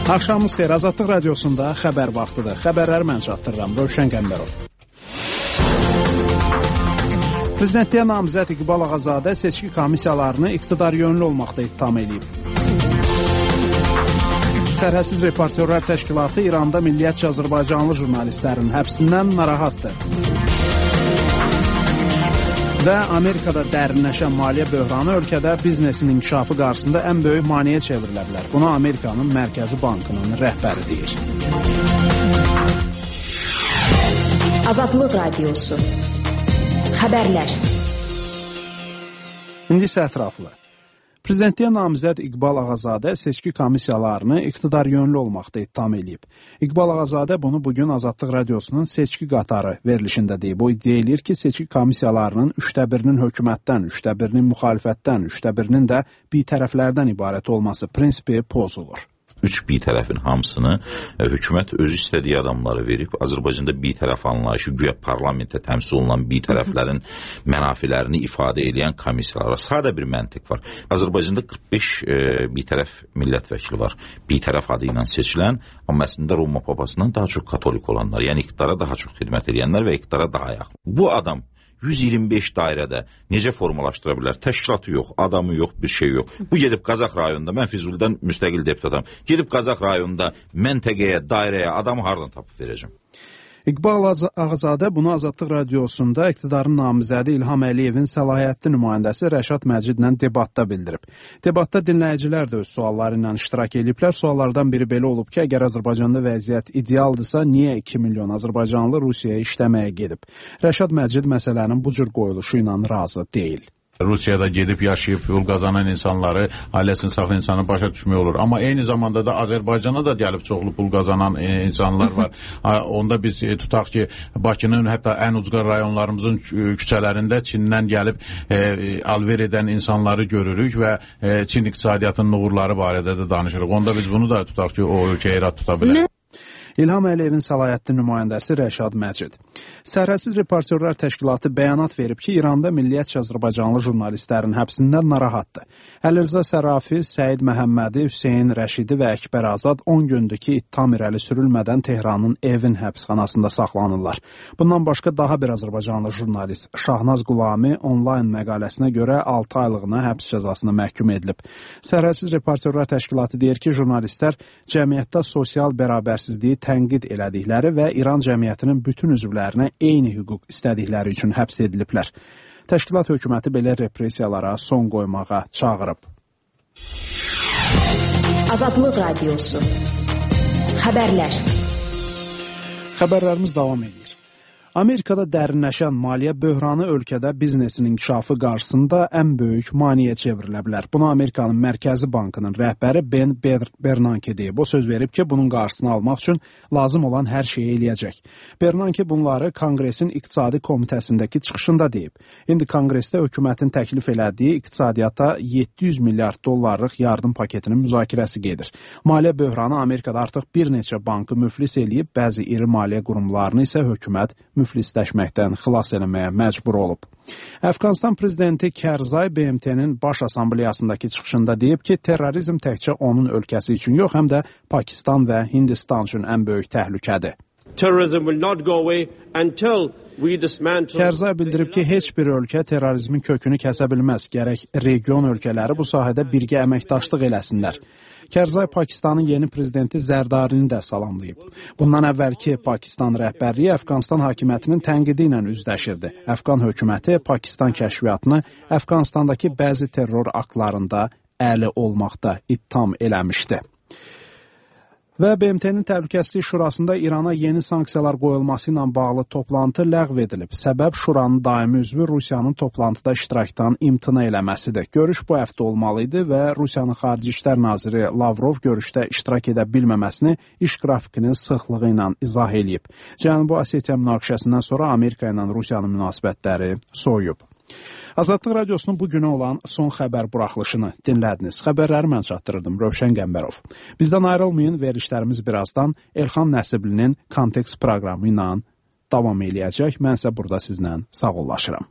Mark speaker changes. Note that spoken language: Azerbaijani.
Speaker 1: Axşamınız xeyir, Azadlıq Radiosunda xəbər vaxtıdır. Xəbərləri mən çatdırıram, Rövşən Qəmbərov. Prezidentliyə namizəd İqbal Ağazadə seçki komissiyalarını iqtidar yönlü olmaqda ittiham edib. Sərhədsiz Reportyorlar Təşkilatı İranda milliyyətçi Azərbaycanlı jurnalistlərin həbsindən narahatdır. Və Amerikada dərinləşən maliyyə böhranı ölkədə biznesin inkişafı qarşısında ən böyük maneə çevrilə bilər. Bunu Amerikanın Mərkəzi Bankının rəhbəri deyir.
Speaker 2: Azadlıq Radiosu. Xəbərlər.
Speaker 1: İndi isə ətraflı. Prezidentliyə namizəd İqbal Ağazadə seçki komissiyalarını iqtidar yönlü olmaqda ittiham edib. İqbal Ağazadə bunu bugün Azadlıq Radiosunun seçki qatarı verilişində deyib. O iddia edir ki, seçki komissiyalarının 1/3-nin hökumətdən, 1/3-nin müxalifətdən, 1/3-nin də bitərəflərdən ibarət olması prinsipi pozulur.
Speaker 3: 3 bitərəfin hamısını hökumət özü istədiyi adamları verib. Azərbaycanda bitərəf anlayışı, güya parlamentdə təmsil olunan bitərəflərin mənafilərini ifadə edən komissiyalar var. Sadə bir məntiq var. Azərbaycanda 45 bitərəf millət vəkili var. Bitərəf adı ilə seçilən, amma əslində Roma papasından daha çox katolik olanlar, yəni iqtidara daha çox xidmət edənlər və iqtidara daha yaxın. Bu adam 125 dairədə necə formalaşdıra bilər? Təşkilatı yox, adamı yox, bir şey yox. Bu gedib Qazax rayonunda, mən Füzulidən müstəqil deputatam, gedib Qazax rayonunda məntəqəyə, dairəyə adamı hardan tapıb verəcəm?
Speaker 1: İqbal Ağazadə bunu Azadlıq Radiosunda iqtidarın namizədi İlham Əliyevin səlahiyyətli nümayəndəsi Rəşad Məcidlə debatda bildirib. Debatda dinləyicilər də öz sualları ilə iştirak ediblər. Suallardan biri belə olub ki, əgər Azərbaycanda vəziyyət idealdırsa, niyə 2 milyon Azərbaycanlı Rusiyaya işləməyə gedib? Rəşad Məcid məsələnin bu cür qoyuluşu ilə razı deyil.
Speaker 4: Rusiyada gedib yaşayıb pul qazanan insanları, ailəsini saxlayan insanı başa düşmək olur. Amma eyni zamanda da Azərbaycana da gəlib çoxlu pul qazanan insanlar var. Onda biz tutaq ki, Bakının hətta ən ucqar rayonlarımızın küçələrində Çindən gəlib alver edən insanları görürük və Çin iqtisadiyyatının uğurları barədə də danışırıq. Onda biz bunu da tutaq ki, o ölkəyə irad tuta bilərik.
Speaker 1: İlham Əliyevin səlahiyyətli nümayəndəsi Rəşad Məcid. Sərhədsiz Reportyorlar Təşkilatı bəyanat verib ki, İranda milliyyətçi Azərbaycanlı jurnalistlərin həbsindən narahatdır. Əlirza Sərafi, Səid Məhəmmədi, Hüseyn Rəşidi və Əkbər Azad 10 gündür ki, ittiham irəli sürülmədən Tehranın Evin həbsxanasında saxlanırlar. Bundan başqa daha bir Azərbaycanlı jurnalist Şahnaz Qulami onlayn məqaləsinə görə 6 aylığına həbs cəzasına məhkum edilib. Sərhədsiz Reportyorlar Təşkilatı deyir ki, jurnalistlər cəmiyyətdə sosial bərabərsizliyi tənqid elədikləri və İran cəmiyyətinin bütün üzvlərinə eyni hüquq istədikləri üçün həbs ediliblər. Təşkilat hökuməti belə repressiyalara son qoymağa çağırıb.
Speaker 2: Azadlıq Radiosu. Xəbərlər.
Speaker 1: Xəbərlərimiz davam edir. Amerikada dərinləşən maliyyə böhranı ölkədə biznesin inkişafı qarşısında ən böyük maneə çevrilə bilər. Bunu Amerikanın Mərkəzi Bankının rəhbəri Ben Bernanke deyib. O söz verib ki, bunun qarşısını almaq üçün lazım olan hər şeyi eləyəcək. Bernanke bunları Konqresin İqtisadi Komitəsindəki çıxışında deyib. İndi Konqresdə hökumətin təklif elədiyi iqtisadiyyata 700 milyard dollarlıq yardım paketinin müzakirəsi gedir. Maliyyə böhranı Amerikada artıq bir neçə bankı müflis eləyib, bəzi iri maliyyə qurumlarını isə hökumət müflisləşməkdən xilas eləməyə məcbur olub. Əfqanistan prezidenti Kərzay BMT-nin Baş Assambleyasındakı çıxışında deyib ki, terrorizm təkcə onun ölkəsi üçün yox, həm də Pakistan və Hindistan üçün ən böyük təhlükədir. Kərzay bildirib ki, heç bir ölkə terrorizmin kökünü kəsə bilməz. Gərək region ölkələri bu sahədə birgə əməkdaşlıq eləsinlər. Kərzay Pakistanın yeni prezidenti Zərdarini də salamlayıb. Bundan əvvəlki Pakistan rəhbərliyi Əfqanistan hakimiyyətinin tənqidi ilə üzləşirdi. Əfqan hökuməti Pakistan kəşfiyyatını Əfqanistandakı bəzi terror aktlarında əli olmaqda ittiham eləmişdi. Və BMT-nin Təhlükəsizlik Şurasında İrana yeni sanksiyalar qoyulması ilə bağlı toplantı ləğv edilib. Səbəb Şuranın daimi üzvü Rusiyanın toplantıda iştirakdan imtina eləməsidir. Görüş bu həftə olmalı idi və Rusiyanın Xarici İşlər Naziri Lavrov görüşdə iştirak edə bilməməsini iş qrafikinin sıxlığı ilə izah edib. Cənubi Osetiya münaqişəsindən sonra Amerika ilə Rusiyanın münasibətləri soyuyub. Azadlıq Radiosunun bu günə olan son xəbər buraxılışını dinlədiniz. Xəbərləri mən çatdırırdım, Rövşən Qəmbərov. Bizdən ayrılmayın, verilişlərimiz birazdan Elxan Nəsiblinin Kontekst proqramı ilə davam eləyəcək. Mən isə burada sizlə sağollaşıram.